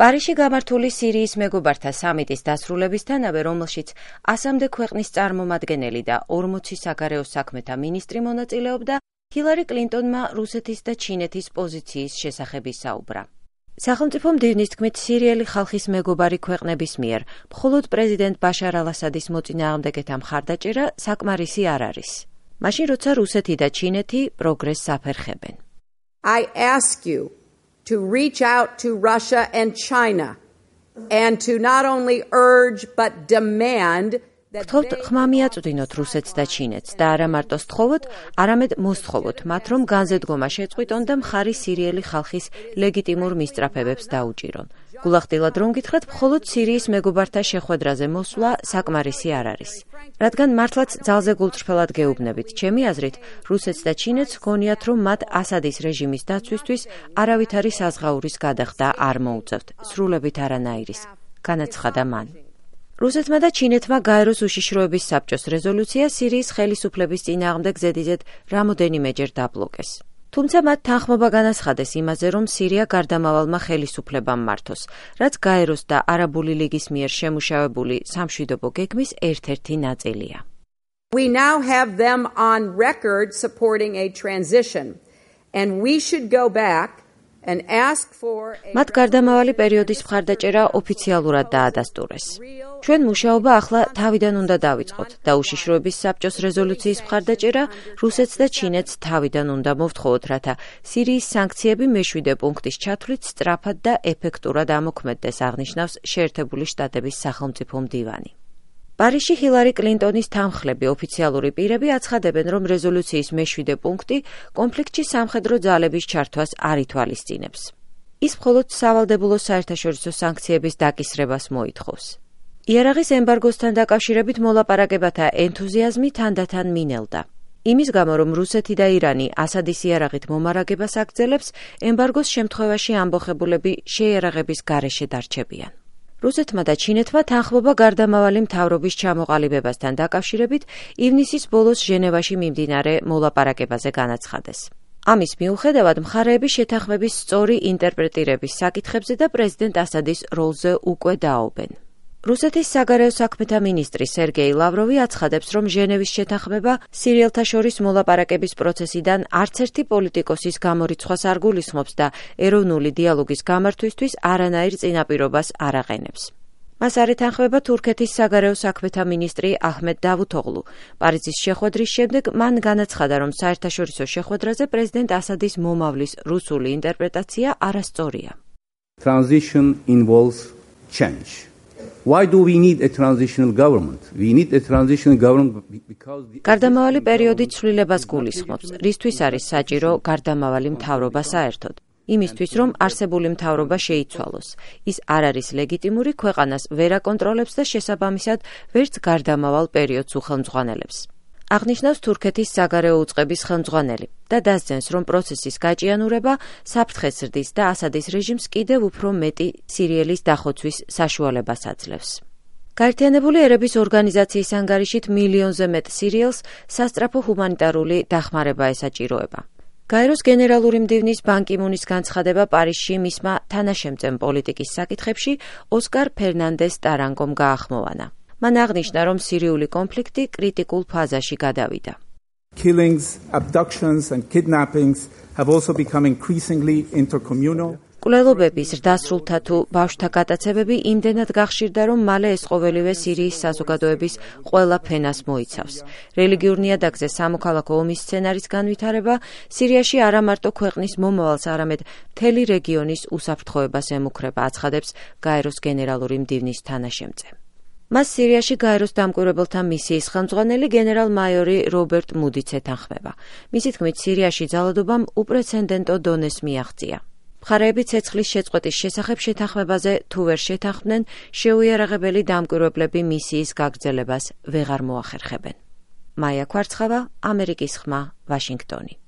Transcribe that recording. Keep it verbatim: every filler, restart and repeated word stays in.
პარიზში გამართული სირიის მეგობართა სამიტის დასრულებისთანავე, რომელშიც ასამდე ქვეყნის წარმომადგენელი და ორმოცი საგარეო საქმეთა მინისტრი მონაწილეობდა, ჰილარი კლინტონმა რუსეთის და ჩინეთის პოზიციის შესახებ ისაუბრა. სახელმწიფო მდივნის თქმით, სირიელი ხალხის მეგობარი ქვეყნების მიერ მხოლოდ პრეზიდენტ ბაშარ ალ-ასადის მოწინააღმდეგეთა მხარდაჭერა საკმარისი არ არის. მაშინ, როცა რუსეთი და ჩინეთი პროგრესს აფერხებენ. I ask you to reach out to Russia and China and to not only urge but demand გთხოვთ ხმა მიაწვდინოთ რუსეთს და ჩინეთს და არა მარტო სთხოვოთ, არამედ მოსთხოვოთ მათ, რომ განზედგომა შეწყვიტონ და მხარი სირიელი ხალხის ლეგიტიმურ მისწრაფებებს დაუჭირონ. გულახდილად რომ გითხრათ, მხოლოდ სირიის მეგობართა შეხვედრაზე მოსვლა საკმარისი არ არის. რადგან მართლაც ძალზე გულწრფელად გეუბნებით, ჩემი აზრით, რუსეთს და ჩინეთს ჰგონიათ, რომ მათ ასადის რეჟიმის დაცვისთვის არავითარი საზღაურის გადახდა არ მოუწევთ, სრულებით არანაირის, განაცხადა მან. რუსეთმა და ჩინეთმა გაეროს უშიშროების საბჭოს რეზოლუცია სირიის ხელისუფლების წინააღმდეგ ზედიზედ რამოდენიმეჯერ დაბლოკეს. თუმცა მათ თანხმობა განაცხადეს იმაზე, რომ სირია გარდამავალმა ხელისუფლებამ მართოს, რაც გაეროს და არაბული ლიგის მიერ შემუშავებული სამშვიდობო გეგმის ერთ-ერთი ნაწილია. We now have them on record supporting a transition and we should go back and ask for a მათ გარდამავალი პერიოდის მხარდაჭერა ოფიციალურად დაადასტურეს. ჩვენ მუშაობა ახლა თავიდან უნდა დავიწყოთ და უშიშროების საბჭოს რეზოლუციის მხარდაჭერა რუსეთს და ჩინეთს თავიდან უნდა მოვთხოვოთ, რათა სირიის სანქციები მეშვიდე პუნქტის ჩათვლით სწრაფად და ეფექტურად ამოქმედდეს, აღნიშნავს შეერთებული შტატების სახელმწიფო მდივანი. პარიზში ჰილარი კლინტონის თანხლები ოფიციალური პირები აცხადებენ, რომ რეზოლუციის მეშვიდე პუნქტი კონფლიქტში სამხედრო ძალების ჩართვას არ ითვალისწინებს. ის მხოლოდ სავალდებულო საერთაშორისო სანქციების დაკისრებას მოითხოვს. იარაღის ემბარგოსთან დაკავშირებით მოლაპარაკებათა ენთუზიაზმი თანდათან მინელდა. იმის გამო, რომ რუსეთი და ირანი ასადის იარაღით მომარაგებას აგრძელებს, ემბარგოს შემთხვევაში ამბოხებულები შეიარაღების გარეშე დარჩებიან. რუსეთმა და ჩინეთმა თანხმობა გარდამავალი მთავრობის ჩამოყალიბებასთან დაკავშირებით ივნისის ბოლოს ჟენევაში მიმდინარე მოლაპარაკებაზე განაცხადეს. ამის მიუხედავად, მხარეები შეთანხმების სწორი ინტერპრეტირების საკითხებზე და პრეზიდენტ ასადის როლზე უკვე დააობენ. რუსეთის საგარეო საქმეთა მინისტრი სერგეი ლავროვი აცხადებს, რომ ჟენევის შეთანხმება სირიელთა შორის მოლაპარაკების პროცესიდან არც ერთი პოლიტიკოსის გამორიცხვას არ გულისხმობს და ეროვნული დიალოგის გამართვისთვის არანაირ წინაპირობას არ აყენებს. მას არ ეთანხმება თურქეთის საგარეო საქმეთა მინისტრი აჰმედ დავუთოღლუ. პარიზის შეხვედრის შემდეგ მან განაცხადა, რომ საერთაშორისო შეხვედრაზე პრეზიდენტ ასადის მომავლის რუსული ინტერპრეტაცია არასწორია. Transition involves change. Why do we need a transitional government? We need a transitional government because the გარდამავალი პერიოდი ცვლილებას გულისხმობს. რისთვის არის საჭირო გარდამავალი მთავრობა საერთოდ? იმისთვის, რომ არსებული მთავრობა შეიცვალოს. ის არ არის ლეგიტიმური, ქვეყანას ვერ აკონტროლებს და შესაბამისად ვერც გარდამავალ პერიოდს უხელმძღვანელებს. აღნიშნავს თურქეთის საგარეო უწყების ხელმძღვანელი და დასძენს, რომ პროცესის გაჭიანურება საფრთხეს ზრდის და ასადის რეჟიმს კიდევ უფრო მეტი სირიელის დახოცვის საშუალებას აძლევს. გაერთიანებული ერების ორგანიზაციის ანგარიშით მილიონზე მეტ სირიელს სასწრაფო ჰუმანიტარული დახმარება ესაჭიროება. გაეროს გენერალური მდივნის ბან კი მუნის განცხადება პარიზში მისმა თანაშემწემ პოლიტიკის საკითხებში ოსკარ ფერნანდეს ტარანგომ გაახმოვანა. მან აღნიშნა, რომ სირიული კონფლიქტი კრიტიკულ ფაზაში გადავიდა. Killings, abductions and kidnappings have also become increasingly intercommunal. კვლელობების, ზრდასრულთა თუ ბავშვთა გატაცებები იმდენად გახშირდა, რომ მალე ეს ყოველივე სირიის საზოგადოების ყველა ფენას მოიცავს. რელიგიურ ნიადაგზე სამოქალაქო ომის სცენარის განვითარება სირიაში არა მარტო ქვეყნის მომავალს, არამედ მთელი რეგიონის უსაფრთხოებას ემუქრება, აცხადებს გაეროს გენერალური მდივნის თანაშემწე. მას სირიაში გაეროს დამკვირვებელთა მისიის ხელმძღვანელი გენერალ-მაიორი რობერტ მუდიც ეთანხმება. მისი თქმით, სირიაში ძალადობამ უპრეცედენტო დონეს მიაღწია. მხარეები ცეცხლის შეწყვეტის შესახებ შეთანხმებაზე თუ ვერ შეთანხმდნენ, შეუიარაღებელი დამკვირვებლები მისიის გაგრძელებას ვეღარ მოახერხებენ. მაია ქვარცხავა, ამერიკის ხმა, ვაშინგტონი.